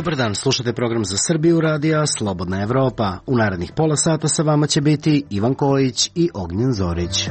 Dobar dan, slušate program za Srbiju radija Slobodna Evropa. U narednih pola sata sa vama će biti Ivan Kojić i Ognjen Zorić.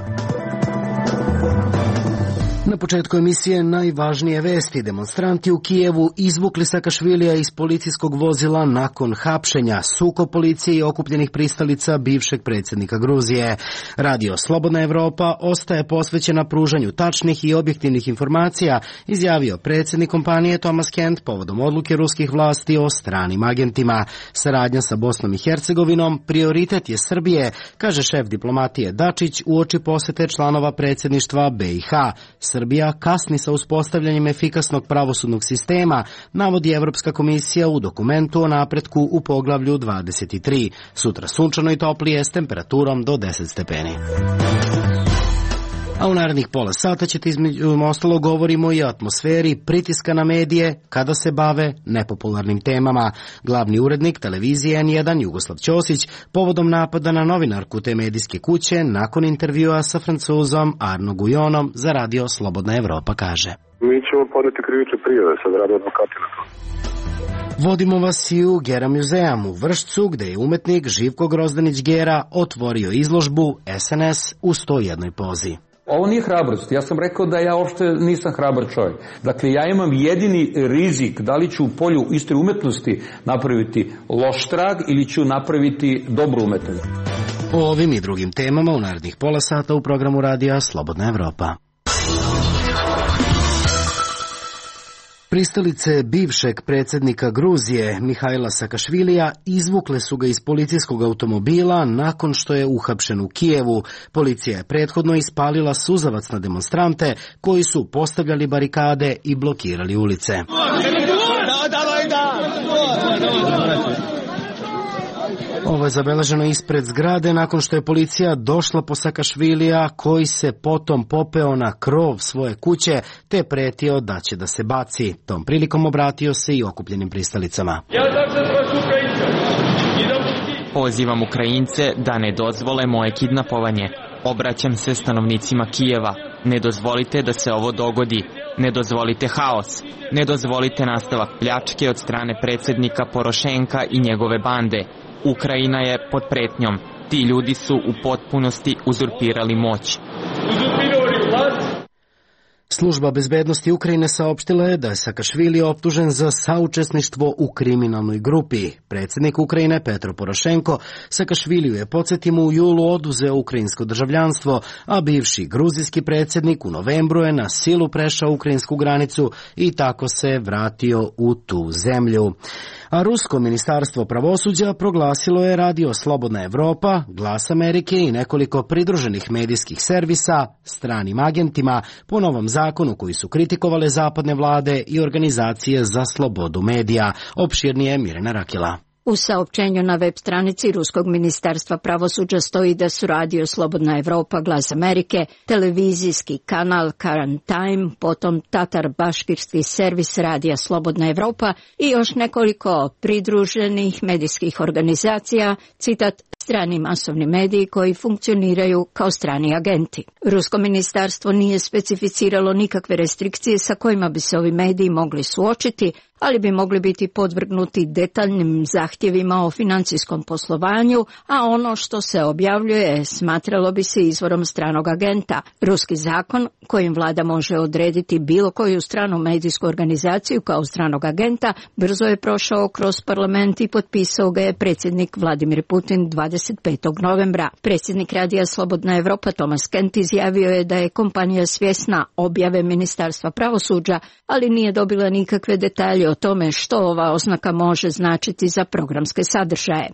Na početku emisije najvažnije vesti. Demonstranti u Kijevu izvukli Sakašvilija iz policijskog vozila nakon hapšenja. Sukob policije i okupljenih pristalica bivšeg predsjednika Gruzije. Radio Slobodna Evropa ostaje posvećena pružanju tačnih i objektivnih informacija, izjavio predsjednik kompanije Thomas Kent povodom odluke ruskih vlasti o stranim agentima. Saradnja sa Bosnom i Hercegovinom prioritet je Srbije, kaže šef diplomatije Dačić uoči posete članova predsjedništva BiH. Srbija kasni sa uspostavljanjem efikasnog pravosudnog sistema, navodi Evropska komisija u dokumentu o napretku u poglavlju 23. Sutra sunčano i toplije s temperaturom do 10 stepeni. A u narednih pola sata ćete između ostalo govorimo i o atmosferi pritiska na medije kada se bave nepopularnim temama. Glavni urednik televizije N1 Jugoslav Ćosić povodom napada na novinarku te medijske kuće nakon intervjua sa Francuzom Arno Gujonom za radio Slobodna Evropa kaže: Mi ćemo podneti krivične prijave, sad rade advokati na to. Vodimo vas i u Gera muzeum u Vršcu, gde je umetnik Živko Grozdanić Gera otvorio izložbu SNS u 101 pozi. Ovo nije hrabrost. Ja sam rekao da ja uopšte nisam hrabar čovjek. Dakle, ja imam jedini rizik da li ću u polju iste umetnosti napraviti loš trag ili ću napraviti dobru umetnost. O ovim i drugim temama u narednih pola sata u programu radija Slobodna Evropa. Pristalice bivšeg predsjednika Gruzije Mihajla Sakašvilija izvukle su ga iz policijskog automobila nakon što je uhapšen u Kijevu. Policija je prethodno ispalila suzavac na demonstrante koji su postavljali barikade i blokirali ulice. Ovo je zabeleženo ispred zgrade nakon što je policija došla po Sakašvilija koji se potom popeo na krov svoje kuće te pretio da će da se baci. Tom prilikom obratio se i okupljenim pristalicama. Pozivam Ukrajince da ne dozvole moje kidnapovanje. Obraćam se stanovnicima Kijeva. Ne dozvolite da se ovo dogodi. Ne dozvolite haos. Ne dozvolite nastavak pljačke od strane predsjednika Porošenka i njegove bande. Ukrajina je pod pretnjom. Ti ljudi su u potpunosti uzurpirali moć. Služba bezbednosti Ukrajine saopštila je da je Sakašvili optužen za saučesništvo u kriminalnoj grupi. Predsjednik Ukrajine Petro Porošenko Sakašviliju je, podsjetimo, u julu oduzeo ukrajinsko državljanstvo, a bivši gruzijski predsjednik u novembru je na silu prešao ukrajinsku granicu i tako se vratio u tu zemlju. A rusko ministarstvo pravosuđa proglasilo je radio Slobodna Evropa, Glas Amerike i nekoliko pridruženih medijskih servisa stranim agentima po novom zakonu koji su kritikovale zapadne vlade i organizacije za slobodu medija. Opširnije Mirjana Rakela. U saopćenju na web stranici Ruskog ministarstva pravosuđa stoji da su radio Slobodna Evropa, Glas Amerike, televizijski kanal Current Time, potom tatar-baškirski servis radija Slobodna Evropa i još nekoliko pridruženih medijskih organizacija, citat, strani masovni mediji koji funkcioniraju kao strani agenti. Rusko ministarstvo nije specificiralo nikakve restrikcije sa kojima bi se ovi mediji mogli suočiti, ali bi mogli biti podvrgnuti detaljnim zahtjevima o financijskom poslovanju, a ono što se objavljuje smatralo bi se izvorom stranog agenta. Ruski zakon kojim vlada može odrediti bilo koju stranu medijsku organizaciju kao stranog agenta brzo je prošao kroz parlament i potpisao ga je predsjednik Vladimir Putin 25. novembra. Predsjednik radija Slobodna Evropa Thomas Kent izjavio je da je kompanija svjesna objave Ministarstva pravosuđa, ali nije dobila nikakve detalje o tome što ova oznaka može značiti za programske sadržaje.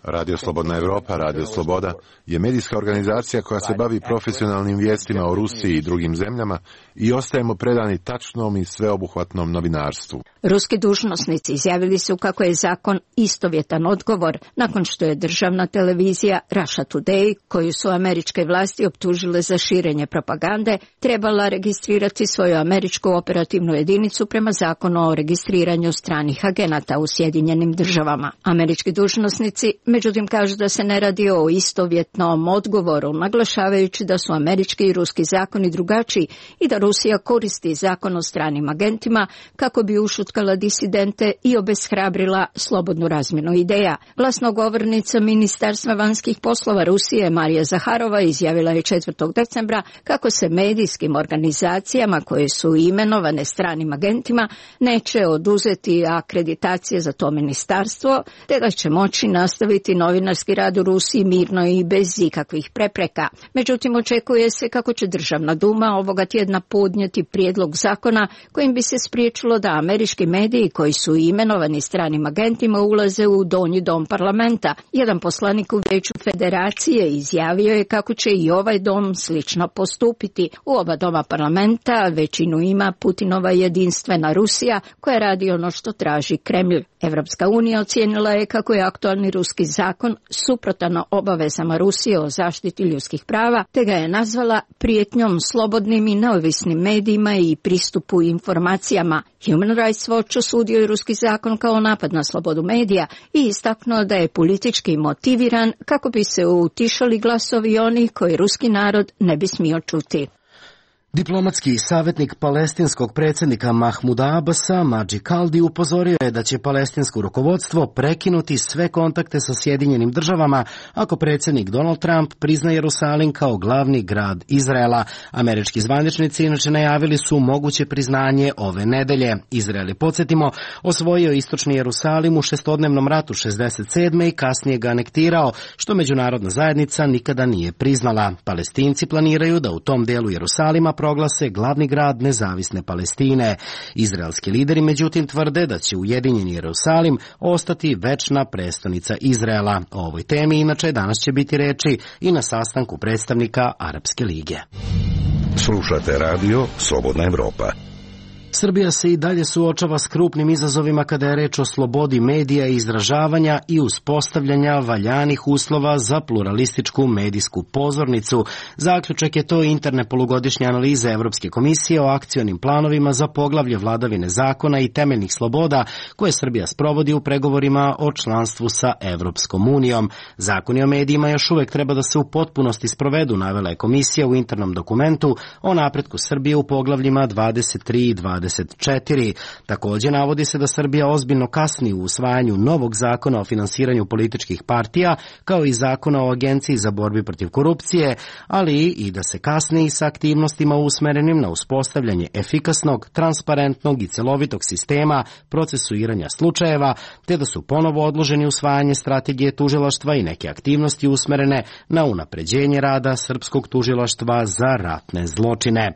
Radio Slobodna Evropa, Radio Sloboda, je medijska organizacija koja se bavi profesionalnim vijestima o Rusiji i drugim zemljama i ostajemo predani tačnom i sveobuhvatnom novinarstvu. Ruski dužnosnici izjavili su kako je zakon istovjetan odgovor nakon što je državna televizija Russia Today, koju su američke vlasti optužile za širenje propagande, trebala registrirati svoju američku operativnu jedinicu prema zakonu o registriranju stranih agenata u Sjedinjenim državama. Američki dužnosnici, međutim, kažu da se ne radi o istovjetnom odgovoru, naglašavajući da su američki i ruski zakoni drugačiji i da Rusija koristi zakon o stranim agentima kako bi ušutkala disidente i obeshrabrila slobodnu razmjenu ideja. Glasnogovornica Ministarstva vanjskih poslova Rusije Marija Zaharova izjavila je 4. decembra kako se medijskim organizacijama koje su imenovane stranim agentima neće oduzeti akreditacije za to ministarstvo, te da će moći nastaviti novinarski rad u Rusiji mirno i bez ikakvih prepreka. Međutim, očekuje se kako će Državna duma ovoga tjedna podnijeti prijedlog zakona kojim bi se spriječilo da američki mediji koji su imenovani stranim agentima ulaze u donji dom parlamenta. Jedan poslanik u Vijeću Federacije izjavio je kako će i ovaj dom slično postupiti. U oba doma parlamenta većinu ima Putinova jedinstvena Rusija koja radi ono što traži Kremlj. Evropska unija ocijenila je kako je aktualni ruski zakon suprotan obavezama Rusije o zaštiti ljudskih prava, te ga je nazvala prijetnjom slobodnim i neovisnim medijima i pristupu informacijama. Human Rights Watch osudio je ruski zakon kao napad na slobodu medija i istaknuo da je politički motiviran kako bi se utišali glasovi onih koji ruski narod ne bi smio čuti. Diplomatski savjetnik palestinskog predsjednika Mahmuda Abasa, Mađi Kaldi, upozorio je da će palestinsko rukovodstvo prekinuti sve kontakte sa Sjedinjenim državama ako predsjednik Donald Trump prizna Jerusalim kao glavni grad Izraela. Američki zvaničnici inače najavili su moguće priznanje ove nedelje. Izrael je, podsjetimo, osvojio istočni Jerusalim u šestodnevnom ratu 67. i kasnije ga anektirao, što međunarodna zajednica nikada nije priznala. Palestinci planiraju da u tom delu Jerusalima proglase glavni grad nezavisne Palestine. Izraelski lideri međutim tvrde da će ujedinjeni Jerusalim ostati večna prestonica Izraela. O ovoj temi inače danas će biti reči i na sastanku predstavnika Arapske lige. Slušate radio Slobodna Evropa. Srbija se i dalje suočava s krupnim izazovima kada je reč o slobodi medija i izražavanja i uspostavljanja valjanih uslova za pluralističku medijsku pozornicu. Zaključak je to interne polugodišnje analize Evropske komisije o akcionim planovima za poglavlje vladavine zakona i temeljnih sloboda koje Srbija sprovodi u pregovorima o članstvu sa Evropskom unijom. Zakoni o medijima još uvek treba da se u potpunosti sprovedu, navela je komisija u internom dokumentu o napretku Srbije u poglavljima 23 i 24. Također navodi se da Srbija ozbiljno kasni u usvajanju novog zakona o finansiranju političkih partija, kao i zakona o Agenciji za borbi protiv korupcije, ali i da se kasni i sa aktivnostima usmerenim na uspostavljanje efikasnog, transparentnog i celovitog sistema procesuiranja slučajeva, te da su ponovo odloženi usvajanje strategije tužilaštva i neke aktivnosti usmerene na unapređenje rada srpskog tužilaštva za ratne zločine.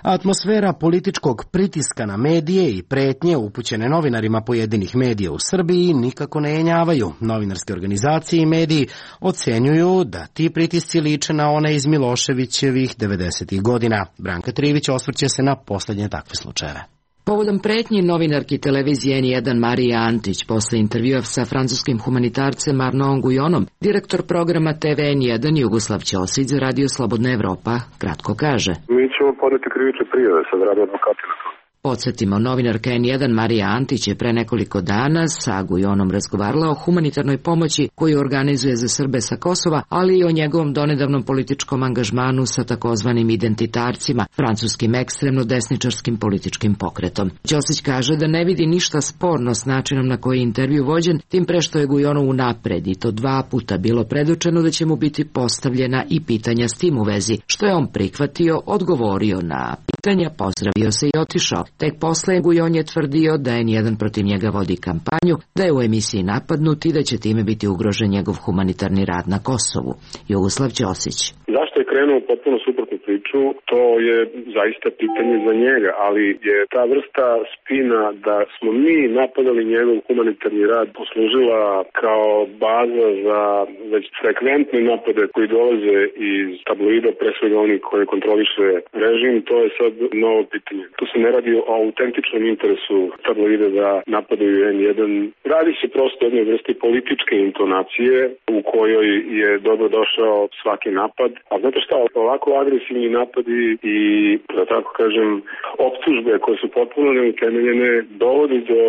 Atmosfera političkog pritiska na medije i pretnje upućene novinarima pojedinih medija u Srbiji nikako ne jenjavaju. Novinarske organizacije i mediji ocenjuju da ti pritisci liče na one iz Miloševićevih 90. godina. Branka Trivić osvrće se na posljednje takve slučajeve. Povodom pretnji novinarki televizije N1 Marija Antić posle intervjua sa francuskim humanitarcem Arnaudom Guyonom, direktor programa TV N1 Jugoslav Ćosić za Radio Slobodna Evropa kratko kaže: Mi ćemo podneti krivične prijave, sad rade advokati na to. Podsjetimo, novinarka N1 Marija Antić je pre nekoliko dana sa Guyonom razgovarala o humanitarnoj pomoći koju organizuje za Srbe sa Kosova, ali i o njegovom donedavnom političkom angažmanu sa takozvanim identitarcima, francuskim ekstremno desničarskim političkim pokretom. Ćosić kaže da ne vidi ništa sporno s načinom na koji je intervju vođen, tim pre što je Guyonu unapred i to 2 puta bilo predočeno da će mu biti postavljena i pitanja s tim u vezi, što je on prihvatio, odgovorio na pitanja, pozdravio se i otišao. Tek posle Guyon je tvrdio da N1 protiv njega vodi kampanju, da je u emisiji napadnut i da će time biti ugrožen njegov humanitarni rad na Kosovu. Jugoslav Ćosić. Zašto je krenuo u potpuno suprotnu priču, to je zaista pitanje za njega, ali je ta vrsta spina da smo mi napadali njegov humanitarni rad poslužila kao baza za već frekventne napade koji dolaze iz tabloida, pre svega oni koji kontroliše režim, to je sad novo pitanje. Tu se ne radi o autentičnom interesu tabloida da napadaju N1. Radi se prosto o jednoj vrsti političke intonacije u kojoj je dobro došao svaki napad. A znate šta, ovako agresivni napadi i, da tako kažem, optužbe koje su potpuno neutemeljene dovodi do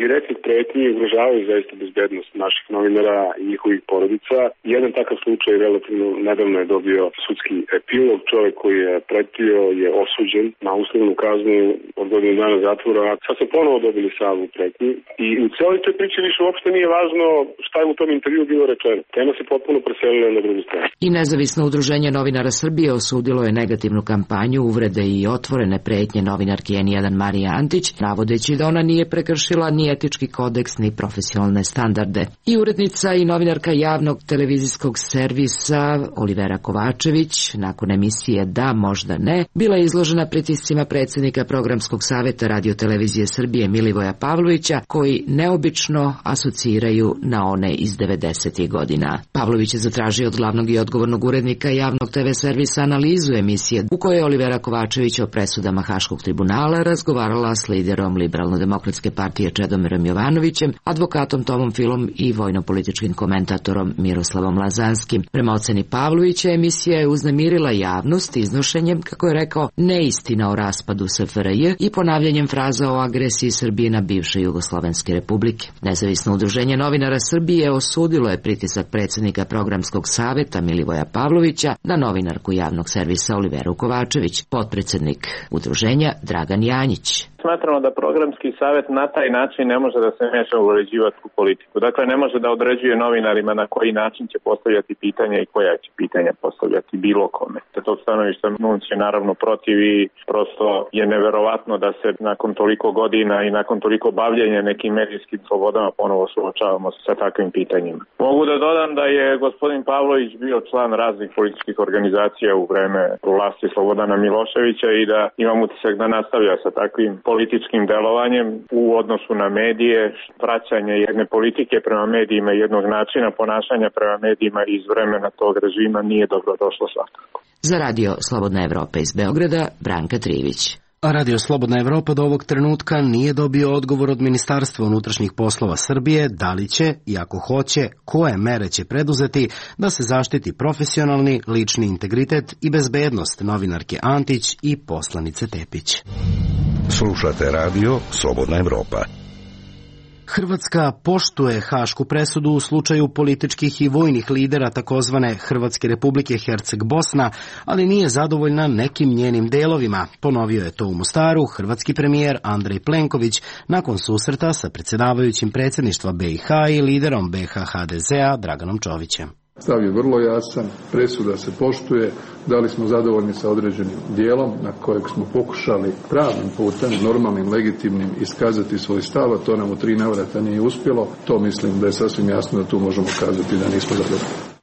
direktnih pretnji i ugrožavaju zaista bezbednost naših novinara i njihovih porodica. Jedan takav slučaj relativno nedavno je dobio sudski epilog. Čovjek koji je pretio je osuđen na uslovnu kaznu od godinu dana zatvora. Sad se ponovo dobili salvu pretnji i u cijeloj toj priči više uopšte nije važno šta je u tom intervju bilo rečeno. Tema se potpuno preselila na drugu stranu. I nezavisno udruženje novinara Srbije osudilo je negativnu kampanju, uvrede i otvorene pretnje novinarki N1 Marije Antić, navodeći da ona nije prekršila ni etički kodeks ni profesionalne standarde. I urednica i novinarka javnog televizijskog servisa Olivera Kovačević, nakon emisije Da, možda ne, bila je izložena pritiscima predsjednika Programskog savjeta Radio-televizije Srbije Milivoja Pavlovića, koji neobično asociraju na one iz 90. godina. Pavlović je zatražio od glavnog i odgovornog urednika javnog TV servisa analizu emisije u kojoj je Olivera Kovačević o presudama Haškog tribunala razgovarala s liderom Liberalno-demokratske partije Čedomirom Jovanovićem, advokatom Tomom Filom i vojno-političkim komentatorom Miroslavom Lazanskim. Prema oceni Pavlovića, emisija je uznemirila javnost iznošenjem, kako je rekao, neistina o raspadu SFRJ i ponavljanjem fraza o agresiji Srbije na bivše Jugoslovenske republike. Nezavisno udruženje novinara Srbije osudilo je pritisak predsjednika Programskog savjeta Milivoja Pavlovića na novinarku javnog servisa Oliveru Kovačević. Potpredsjednik udruženja Dragan Janjić. Smatramo da Programski savjet na taj način ne može da se meša u uređivačku politiku. Dakle, ne može da određuje novinarima na koji način će postavljati pitanja i koja će pitanja postavljati bilo kome. Te tog stanovišta NUNS je naravno protiv i prosto je neverovatno da se nakon toliko godina i nakon toliko bavljenja nekim medijskim slobodama ponovo suočavamo sa takvim pitanjima. Mogu da dodam da je gospodin Pavlović bio član raznih političkih organizacija u vreme vlasti Slobodana Miloševića i da imam utisak da nastavlja sa takvim političkim delovanjem u odnosu na medije, vraćanje jedne politike prema medijima, jednog načina ponašanja prema medijima iz vremena tog režima nije dobro došlo svakako. Za Radio Slobodna Evropa iz Beograda, Branka Trivić. A Radio Slobodna Evropa do ovog trenutka nije dobio odgovor od Ministarstva unutrašnjih poslova Srbije da li će, i ako hoće, koje mere će preduzeti da se zaštiti profesionalni, lični integritet i bezbednost novinarke Antić i poslanice Tepić. Slušate Radio Slobodna Evropa. Hrvatska poštuje hašku presudu u slučaju političkih i vojnih lidera takozvane Hrvatske republike Herceg-Bosna, ali nije zadovoljna nekim njenim delovima. Ponovio je to u Mostaru hrvatski premijer Andrej Plenković nakon susreta sa predsjedavajućim predsjedništva BiH i liderom BiH HDZ-a Draganom Čovićem. Stav je vrlo jasan, presuda se poštuje, da li smo zadovoljni sa određenim dijelom na kojeg smo pokušali pravnim putem, normalnim, legitimnim, iskazati svoj stav, a to nam u 3 navrata nije uspjelo, to mislim da je sasvim jasno da tu možemo kazati da nismo zadovoljni.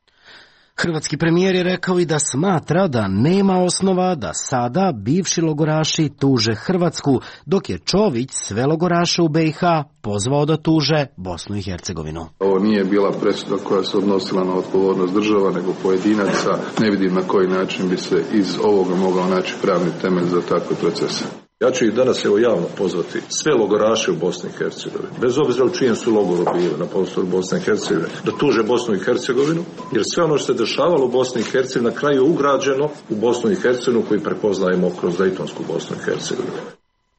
Hrvatski premijer je rekao i da smatra da nema osnova da sada bivši logoraši tuže Hrvatsku, dok je Čović sve logoraše u BiH pozvao da tuže Bosnu i Hercegovinu. Ovo nije bila presuda koja se odnosila na odgovornost država, nego pojedinaca. Ne vidim na koji način bi se iz ovoga mogao naći pravni temelj za takve procese. Ja ću ih danas javno pozvati sve logoraše u Bosni i Hercegovini, bez obzira u čijem su logoru bili na prostoru Bosne i Hercegovine, da tuže Bosnu i Hercegovinu, jer sve ono što se dešavalo u Bosni i Hercegovini na kraju je ugrađeno u Bosnu i Hercegovinu koju prepoznajemo kroz Dejtonsku Bosnu i Hercegovinu.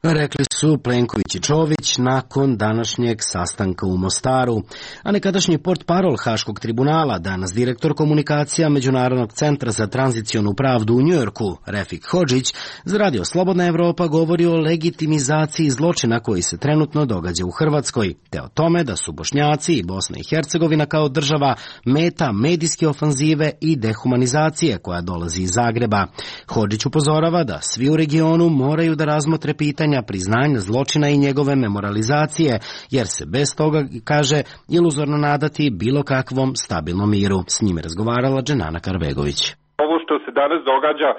Rekli su Plenković i Čović nakon današnjeg sastanka u Mostaru. A nekadašnji portparol Haškog tribunala, danas direktor komunikacija Međunarodnog centra za tranzicionu pravdu u Njujorku, Refik Hodžić, za Radio Slobodna Evropa govori o legitimizaciji zločina koji se trenutno događa u Hrvatskoj, te o tome da su Bošnjaci i Bosna i Hercegovina kao država meta medijske ofanzive i dehumanizacije koja dolazi iz Zagreba. Hodžić upozorava da svi u regionu moraju da razmotre pitanja priznanja zločina i njegove memorializacije, jer se bez toga, kaže, iluzorno nadati bilo kakvom stabilnom miru. S njime razgovarala Dženana Karbegović. Ovo što se danas događa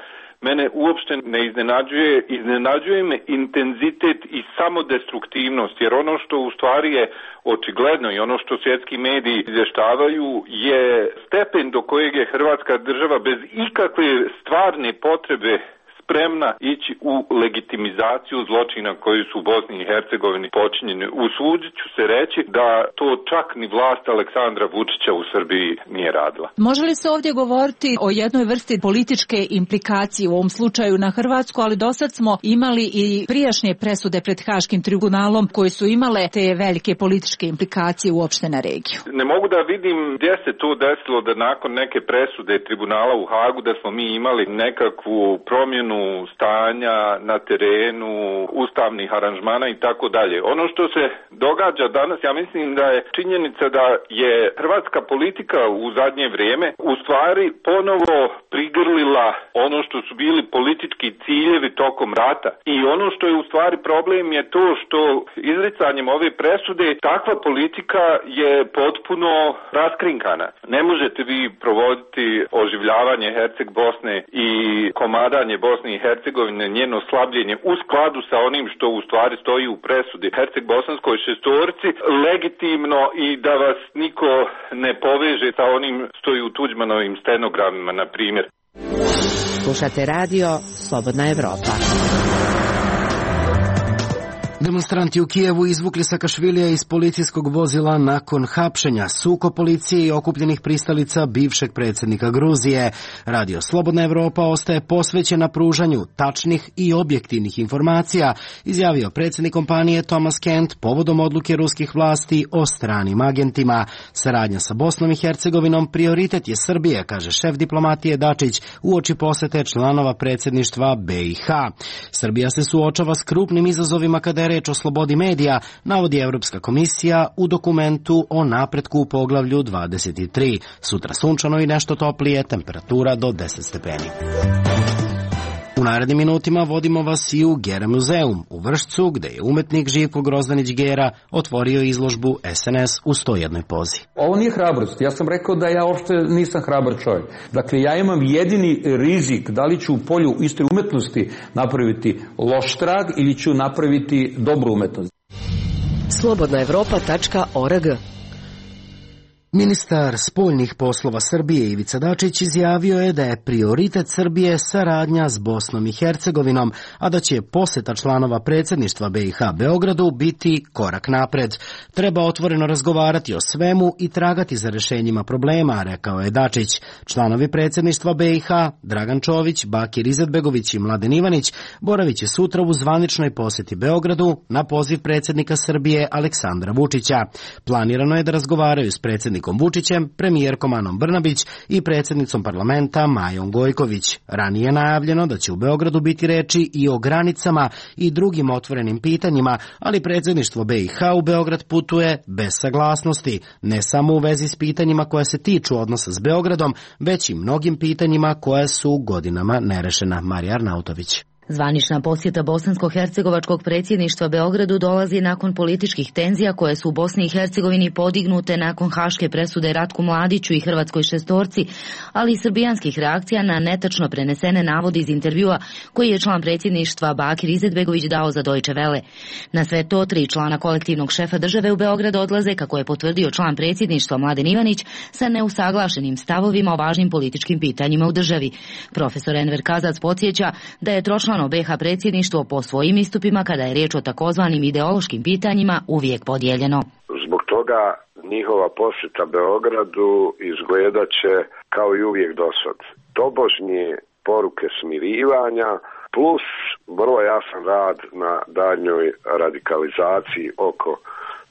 mene uopšte ne iznenađuje me intenzitet i samodestruktivnost, jer ono što u stvari je očigledno i ono što svjetski mediji izvještavaju je stepen do kojeg je Hrvatska država bez ikakve stvarne potrebe spremna ići u legitimizaciju zločina koji su u Bosni i Hercegovini počinjeni. Usudit ću se reći da to čak ni vlast Aleksandra Vučića u Srbiji nije radila. Može li se ovdje govoriti o jednoj vrsti političke implikacije u ovom slučaju na Hrvatsku, ali dosad smo imali i prijašnje presude pred Haškim tribunalom koje su imale te velike političke implikacije uopšte na regiju? Ne mogu da vidim gdje se to desilo da nakon neke presude tribunala u Hagu da smo mi imali nekakvu promjenu stanja na terenu, ustavnih aranžmana i tako dalje. Ono što se događa danas, ja mislim da je činjenica da je hrvatska politika u zadnje vrijeme u stvari ponovo prigrlila ono što su bili politički ciljevi tokom rata. I ono što je u stvari problem je to što izricanjem ove presude takva politika je potpuno raskrinkana. Ne možete vi provoditi oživljavanje Herceg Bosne i komadanje Bosne i Hercegovine, njeno slabljenje u skladu sa onim što u stvari stoji u presudi Herceg-bosanskoj šestorci legitimno i da vas niko ne poveže sa onim stoji u Tuđmanovim stenogramima, na primjer. Slušate radio Slobodna Evropa. Demonstranti u Kijevu izvukli Sakašvilija iz policijskog vozila nakon hapšenja. Sukob policije i okupljenih pristalica bivšeg predsjednika Gruzije. Radio Slobodna Evropa ostaje posvećena pružanju tačnih i objektivnih informacija, izjavio predsjednik kompanije Thomas Kent povodom odluke ruskih vlasti o stranim agentima. Saradnja sa Bosnom i Hercegovinom prioritet je Srbije, kaže šef diplomatije Dačić uoči posete članova predsjedništva BiH. Srbija se suočava s krupnim izazovima kada je reč o slobodi medija, navodi Europska komisija u dokumentu o napretku u poglavlju 23. Sutra sunčano i nešto toplije, temperatura do 10 stepeni. U narednim minutima vodimo vas i u Gera muzeum u Vršcu, gde je umetnik Živko Grozdanić Gera otvorio izložbu SNS u 101 pozi. Ovo nije hrabrost. Ja sam rekao da ja uopšte nisam hrabar čovjek. Dakle, ja imam jedini rizik da li ću u polju iste umetnosti napraviti loš trag ili ću napraviti dobru umetnost. Slobodnaevropa.org. Ministar spoljnih poslova Srbije Ivica Dačić izjavio je da je prioritet Srbije saradnja s Bosnom i Hercegovinom, a da će posjeta članova predsjedništva BiH Beogradu biti korak napred. Treba otvoreno razgovarati o svemu i tragati za rješenjima problema, rekao je Dačić. Članovi predsjedništva BiH, Dragan Čović, Bakir Izetbegović i Mladen Ivanić, boravit će sutra u zvaničnoj posjeti Beogradu na poziv predsjednika Srbije Aleksandra Vučića. Planirano je da razgovaraju s predsjednikom Vučićem, premijerkom Anom Brnabić i predsjednicom parlamenta Majom Gojković. Ranije je najavljeno da će u Beogradu biti reči i o granicama i drugim otvorenim pitanjima, ali predsjedništvo BiH u Beograd putuje bez saglasnosti, ne samo u vezi s pitanjima koja se tiču odnosa s Beogradom, već i mnogim pitanjima koja su godinama nerešena. Marija Arnautović. Zvanična posjeta bosansko-hercegovačkog predsjedništva Beogradu dolazi nakon političkih tenzija koje su u Bosni i Hercegovini podignute nakon haške presude Ratku Mladiću i hrvatskoj šestorci, ali i srbijanskih reakcija na netačno prenesene navode iz intervjua koji je član predsjedništva Bakir Izetbegović dao za Deutsche Welle. Na sve to 3 člana kolektivnog šefa države u Beograd odlaze, kako je potvrdio član predsjedništva Mladen Ivanić, sa neusaglašenim stavovima o važnim političkim pitanjima u državi. Profesor Enver Kazac podsjeća da je tročlano BiH predsjedništvo po svojim istupima, kada je riječ o takozvanim ideološkim pitanjima, uvijek podijeljeno. Zbog toga njihova posjeta Beogradu izgledat će kao i uvijek dosad. Tobožnje poruke smirivanja plus vrlo jasan rad na daljnjoj radikalizaciji oko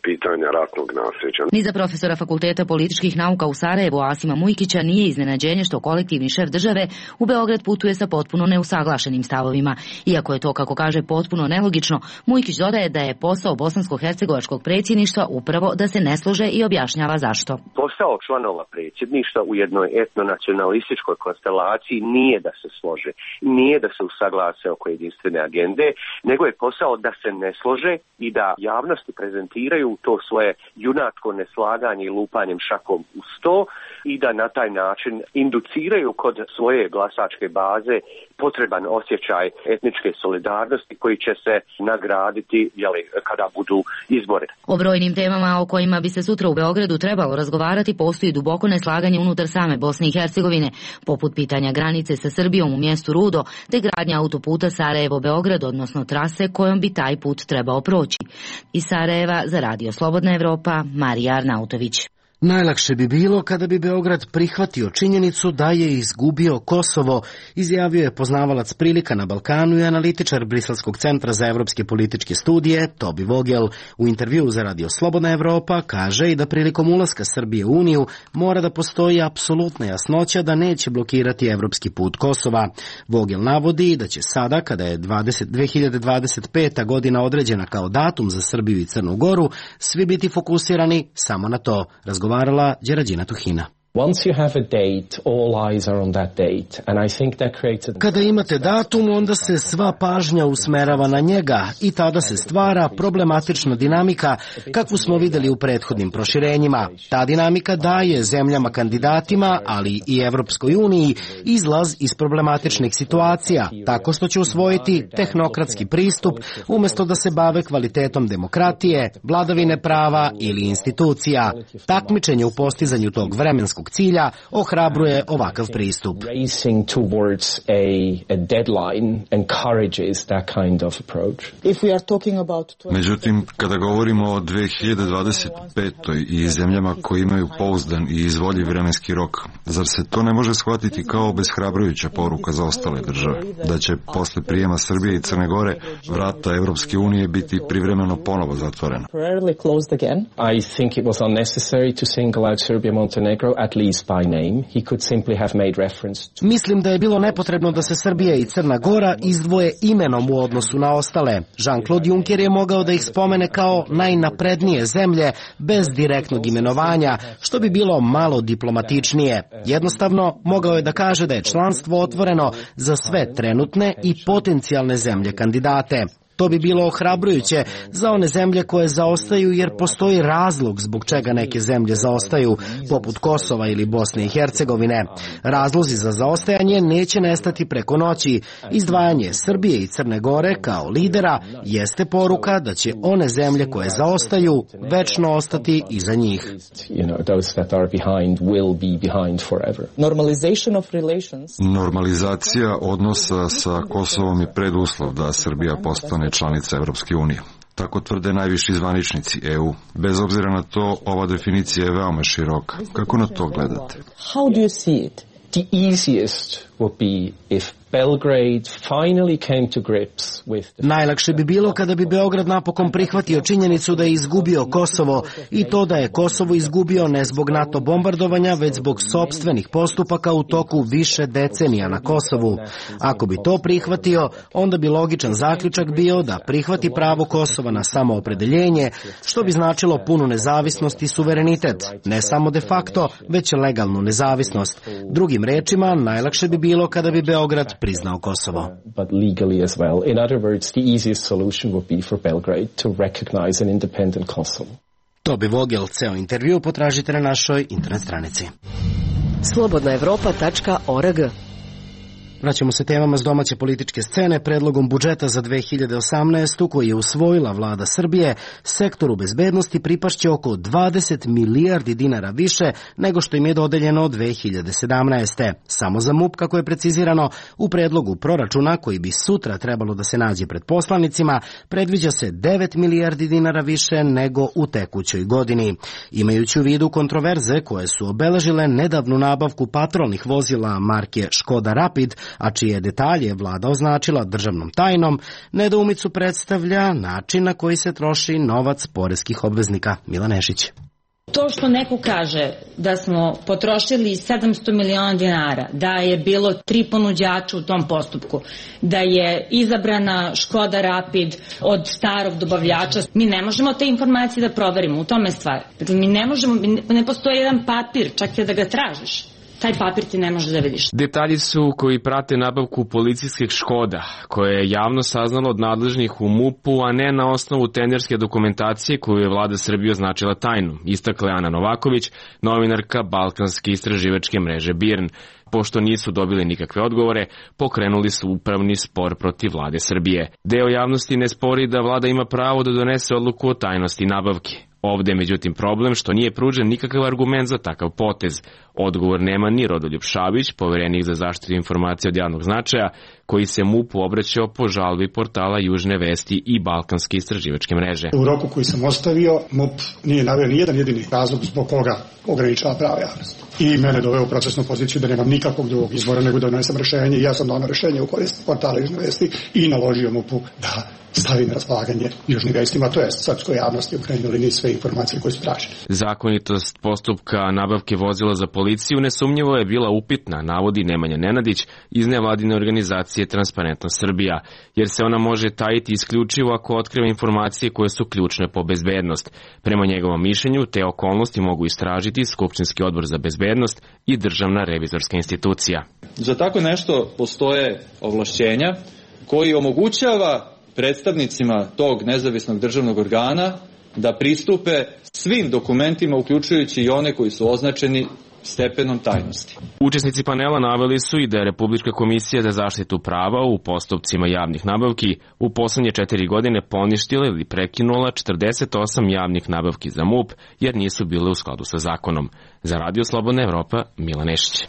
pitanja ratnog nasljeđa. Ni za profesora Fakulteta političkih nauka u Sarajevu Asima Mujkića nije iznenađenje što kolektivni šef države u Beograd putuje sa potpuno neusaglašenim stavovima. Iako je to, kako kaže, potpuno nelogično, Mujkić dodaje da je posao bosansko-hercegovačkog predsjedništva upravo da se ne slože i objašnjava zašto. Posao članova predsjedništva u jednoj etnonacionalističkoj konstelaciji nije da se slože, nije da se usaglase oko jedinstvene agende, nego je posao da se ne slože i da javnosti prezentiraju u to svoje junatsko neslaganje i lupanjem šakom u sto i da na taj način induciraju kod svoje glasačke baze potreban osjećaj etničke solidarnosti koji će se nagraditi kada budu izbori. O brojnim temama o kojima bi se sutra u Beogradu trebalo razgovarati postoji duboko neslaganje unutar same Bosne i Hercegovine, poput pitanja granice sa Srbijom u mjestu Rudo, te gradnja autoputa Sarajevo-Beograd, odnosno trase kojom bi taj put trebao proći. Iz Sarajeva za Radio Slobodna Evropa, Marija Arnautović. Najlakše bi bilo kada bi Beograd prihvatio činjenicu da je izgubio Kosovo, izjavio je poznavalac prilika na Balkanu i analitičar Briselskog centra za evropske političke studije Tobi Vogel. U intervjuu za Radio Slobodna Evropa kaže i da prilikom ulaska Srbije u Uniju mora da postoji apsolutna jasnoća da neće blokirati evropski put Kosova. Vogel navodi da će sada, kada je 2025. godina određena kao datum za Srbiju i Crnu Goru, svi biti fokusirani samo na to. Razgovarala Đerađina Tuhina. Kada imate datum, onda se sva pažnja usmerava na njega i tada se stvara problematična dinamika kakvu smo vidjeli u prethodnim proširenjima. Ta dinamika daje zemljama kandidatima, ali i Evropskoj uniji, izlaz iz problematičnih situacija, tako što će usvojiti tehnokratski pristup umjesto da se bave kvalitetom demokratije, vladavine prava ili institucija. Takmičenje u postizanju tog vremenskog cilja ohrabruje ovakav pristup. Međutim, kada govorimo o 2025. i zemljama koje imaju pouzdan i izvoljiv vremenski rok, zar se to ne može shvatiti kao obeshrabrujuća poruka za ostale države? Da će posle prijema Srbije i Crne Gore vrata Evropske unije biti privremeno ponovo zatvorena? I think it was unnecessary to single out Serbia Montenegro at least by name. He could simply have made reference to... Mislim da je bilo nepotrebno da se Srbija i Crna Gora izdvoje imenom u odnosu na ostale. Jean-Claude Juncker je mogao da ih spomene kao najnaprednije zemlje bez direktnog imenovanja, što bi bilo malo diplomatičnije. Jednostavno, mogao je da kaže da je članstvo otvoreno za sve trenutne i potencijalne zemlje kandidate. To bi bilo ohrabrujuće za one zemlje koje zaostaju, jer postoji razlog zbog čega neke zemlje zaostaju, poput Kosova ili Bosne i Hercegovine. Razlozi za zaostajanje neće nestati preko noći. Izdvajanje Srbije i Crne Gore kao lidera jeste poruka da će one zemlje koje zaostaju večno ostati iza njih. Normalizacija odnosa sa Kosovom je preduslov da Srbija postane članica Evropske unije. Tako tvrde najviši zvaničnici EU. Bez obzira na to, ova definicija je veoma široka. Kako na to gledate? How do you see it? The easiest would be if Belgrade finally came to grips with the... Najlakše bi bilo kada bi Beograd napokon prihvatio činjenicu da je izgubio Kosovo i to da je Kosovo izgubio ne zbog NATO bombardovanja, već zbog sopstvenih postupaka u toku više decenija na Kosovu. Ako bi to prihvatio, onda bi logičan zaključak bio da prihvati pravo Kosova na samoopredeljenje, što bi značilo punu nezavisnost i suverenitet, ne samo de facto, već legalnu nezavisnost. Drugim rečima, najlakše bi bilo kada bi Beograd priznao Kosovo. But legally as well. In other words, the easiest solution would be for Belgrade to recognize an independent Kosovo. Tobi Vogel, ceo intervju potražite na našoj internet stranici. slobodnaevropa.org. Vraćamo se temama s domaće političke scene. Predlogom budžeta za 2018. koji je usvojila vlada Srbije, sektoru bezbednosti pripašće oko 20 milijardi dinara više nego što im je dodeljeno od 2017. Samo za MUP, kako je precizirano u predlogu proračuna koji bi sutra trebalo da se nađe pred poslanicima, predviđa se 9 milijardi dinara više nego u tekućoj godini. Imajući u vidu kontroverze koje su obeležile nedavnu nabavku patrolnih vozila marke Škoda Rapid, a čije detalje vlada označila državnom tajnom, nedoumicu predstavlja način na koji se troši novac poreskih obveznika. Mila Nešić. To što neko kaže da smo potrošili 700 miliona dinara, da je bilo 3 ponuđača u tom postupku, da je izabrana Škoda Rapid od starog dobavljača, mi ne možemo te informacije da proverimo, u tome stvar. Dakle, mi ne možemo, ne postoji jedan papir, čak i da ga tražiš. taj papir ti ne možeš da vidiš. Detalji su koji prate nabavku policijskih Škoda, koje je javno saznalo od nadležnih u MUP-u, a ne na osnovu tenderske dokumentacije koju je vlada Srbije označila tajnu, istakla Ana Novaković, novinarka Balkanske istraživačke mreže BIRN. Pošto nisu dobili nikakve odgovore, pokrenuli su upravni spor protiv vlade Srbije. Deo javnosti ne spori da vlada ima pravo da donese odluku o tajnosti nabavke. Ovde je međutim problem što nije pružen nikakav argument za takav potez. Odgovor nema ni Rodoljub Šabić, poverenik za zaštitu informacija od javnog značaja, koji se MUP-u obraćao po žalbi portala Južne vesti i Balkanske istraživačke mreže. U roku koji sam ostavio, MUP nije naveo ni jedan jedini razlog zbog koga ograničava pravo javnosti. I mene doveo u procesnu poziciju da nemam nikakvog drugog izbora nego da donesem rešenje i ja sam donao rešenje u korist portala Južne vesti i naložio MUP-u da stavi na raspolaganje Južnim vestima, to je srpskoj javnosti u krajnjoj liniji sve informacije koje su tražene. Zakonitost postupka nabavke vozila za policiju nesumnjivo je bila upitna, navodi Nemanja Nenadić iz nevladine organizacije Transparentnost Srbija, jer se ona može tajiti isključivo ako otkriva informacije koje su ključne po bezbednost. Prema njegovom mišljenju, te okolnosti mogu istražiti Skupštinski odbor za bezbednost i Državna revizorska institucija. Za tako nešto postoje ovlašćenja koji omogućava predstavnicima tog nezavisnog državnog organa da pristupe svim dokumentima, uključujući i one koji su označeni stepenom tajnosti. Učesnici panela naveli su i da je Republička komisija za zaštitu prava u postupcima javnih nabavki u poslednje 4 godine poništila ili prekinula 48 javnih nabavki za MUP, jer nisu bile u skladu sa zakonom. Za Radio Slobodna Evropa, Milan Nešić.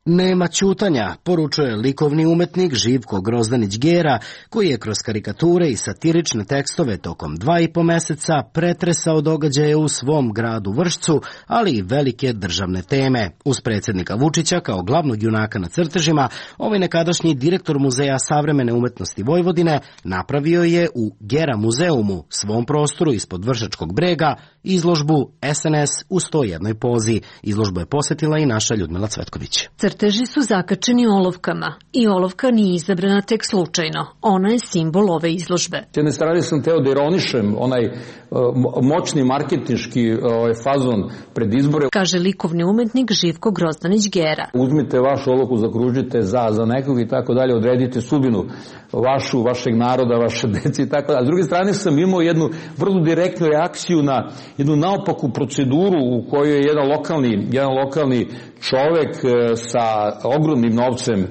Nema ćutanja, poručuje likovni umetnik Živko Grozdanić-Gera, koji je kroz karikature i satirične tekstove tokom 2,5 meseca pretresao događaje u svom gradu Vršcu, ali i velike državne teme. Uz predsjednika Vučića kao glavnog junaka na crtežima, ovaj nekadašnji direktor Muzeja savremene umetnosti Vojvodine napravio je u Gera muzeumu, svom prostoru ispod Vršačkog brega, izložbu SNS u 101 pozi. Izložbu je posetila i naša Ljudmila Cvetković. Crteži su zakačeni olovkama i olovka nije izabrana tek slučajno. Ona je simbol ove izložbe. S jedne strane sam teo da ironišem onaj moćni marketinški fazon pred izbore. Kaže likovni umetnik Živko Grozdanić-Gera. Uzmite vašu olovku, zakružite za nekog i tako dalje, odredite sudbinu vašeg naroda, vaše dece i tako dalje. A s druge strane sam imao jednu vrlo direktnu reakciju na jednu naopaku proceduru u kojoj je jedan lokalni čovek sa ogromnim novcem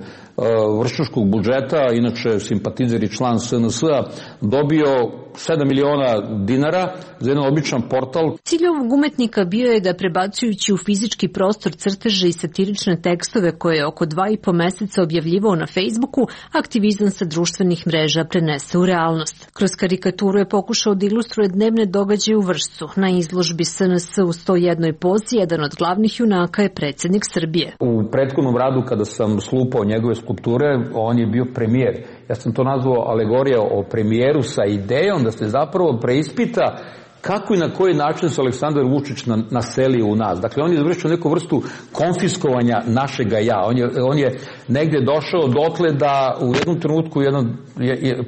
vršačkog budžeta, inače simpatizer i član SNS-a, dobio 7 miliona dinara za jedan običan portal. Cilj ovog umetnika bio je da, prebacujući u fizički prostor crteže i satirične tekstove koje je oko 2,5 meseca objavljivao na Facebooku, aktivizam sa društvenih mreža prenese u realnost. Kroz karikaturu je pokušao da ilustruje dnevne događaje u Vršcu. Na izložbi SNS u 101 pozi jedan od glavnih junaka je predsjednik Srbije. U prethodnom radu kada sam slupao njegove skulpture, on je bio premijer. Ja sam to nazvao alegorija o premijeru sa idejom da se zapravo preispita kako i na koji način se Aleksandar Vučić naselio u nas. Dakle, on je završio neku vrstu konfiskovanja našega ja. On je negde došao dotle da u jednom trenutku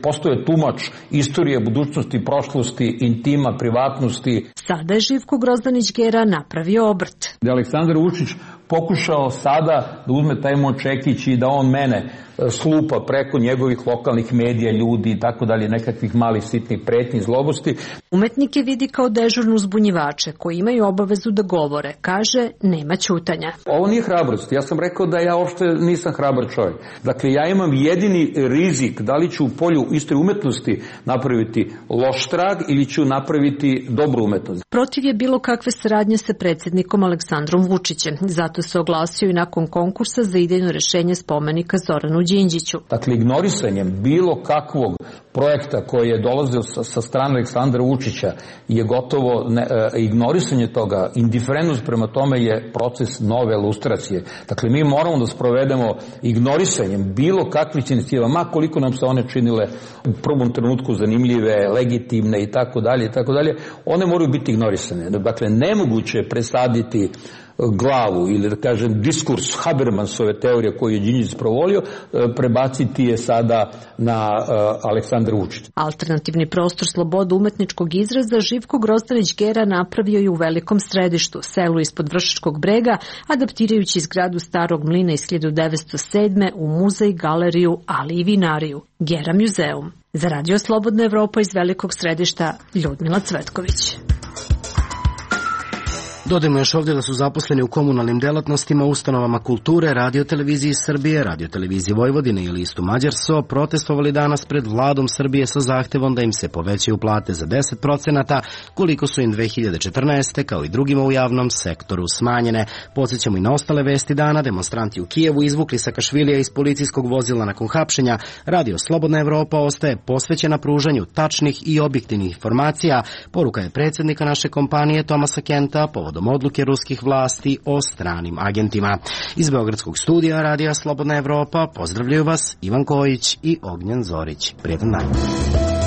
postoje tumač istorije, budućnosti, prošlosti, intima, privatnosti. Sada je Živko Grozdanić-Gera napravio obrt. Da je Aleksandar Vučić pokušao sada da uzme taj močekić i da on mene slupa preko njegovih lokalnih medija, ljudi i tako dalje, nekakvih malih sitnih pretnji, zlobosti. Umetnik je vidi kao dežurnu uzbunjivače koji imaju obavezu da govore. Kaže, nema ćutanja. Ovo nije hrabrost. Ja sam rekao da ja uopšte nisam hrabar čovjek. Dakle, ja imam jedini rizik da li ću u polju iste umetnosti napraviti loš trag ili ću napraviti dobru umetnost. Protiv je bilo kakve saradnje sa predsjednikom Aleksandrom Vučićem. Zato se oglasio i nakon konkursa za idejno rešenje spomenika Zoranu Đinđiću. Dakle, ignorisanjem bilo kakvog projekta koji je dolazio sa strane Aleksandra Vučića je gotovo ignorisanje toga, indiferentnost prema tome je proces nove lustracije. Dakle, mi moramo da sprovedemo ignorisanjem bilo kakvih inicijativa, ma koliko nam se one činile u prvom trenutku zanimljive, legitimne i tako dalje, one moraju biti ignorisane. Dakle, nemoguće je presaditi glavu ili da kažem diskurs Habermasove teorije koju je Đinđić sprovolio, prebaciti je sada na Aleksandra Aleksandar Vučić. Alternativni prostor slobodu umetničkog izraza Živko Grozdanić Gera napravio je u Velikom Središtu, selu ispod Vršačkog brega, adaptirajući zgradu Starog mlina iz 1907. u muzej, galeriju, ali i vinariju. Gera muzeum. Za Radio Slobodna Evropa iz Velikog Središta, Ljudmila Cvetković. Dodajmo još ovdje da su zaposleni u komunalnim delatnostima, ustanovama kulture, radioteleviziji Srbije, radioteleviziji Vojvodine i listu Mađarso protestovali danas pred vladom Srbije sa zahtevom da im se povećaju plate za 10%, koliko su im 2014. kao i drugima u javnom sektoru smanjene. Podsjećamo i na ostale vesti dana. Demonstranti u Kijevu izvukli Sakašvilija iz policijskog vozila nakon hapšenja. Radio Slobodna Evropa ostaje posvećena pružanju tačnih i objektivnih informacija. Poruka je predsjednika naše kompanije Tomasa Kenta povodom odluke ruskih vlasti o stranim agentima. Iz Beogradskog studija Radija Slobodna Evropa pozdravljaju vas Ivan Kojić i Ognjen Zorić. Prijetan dan.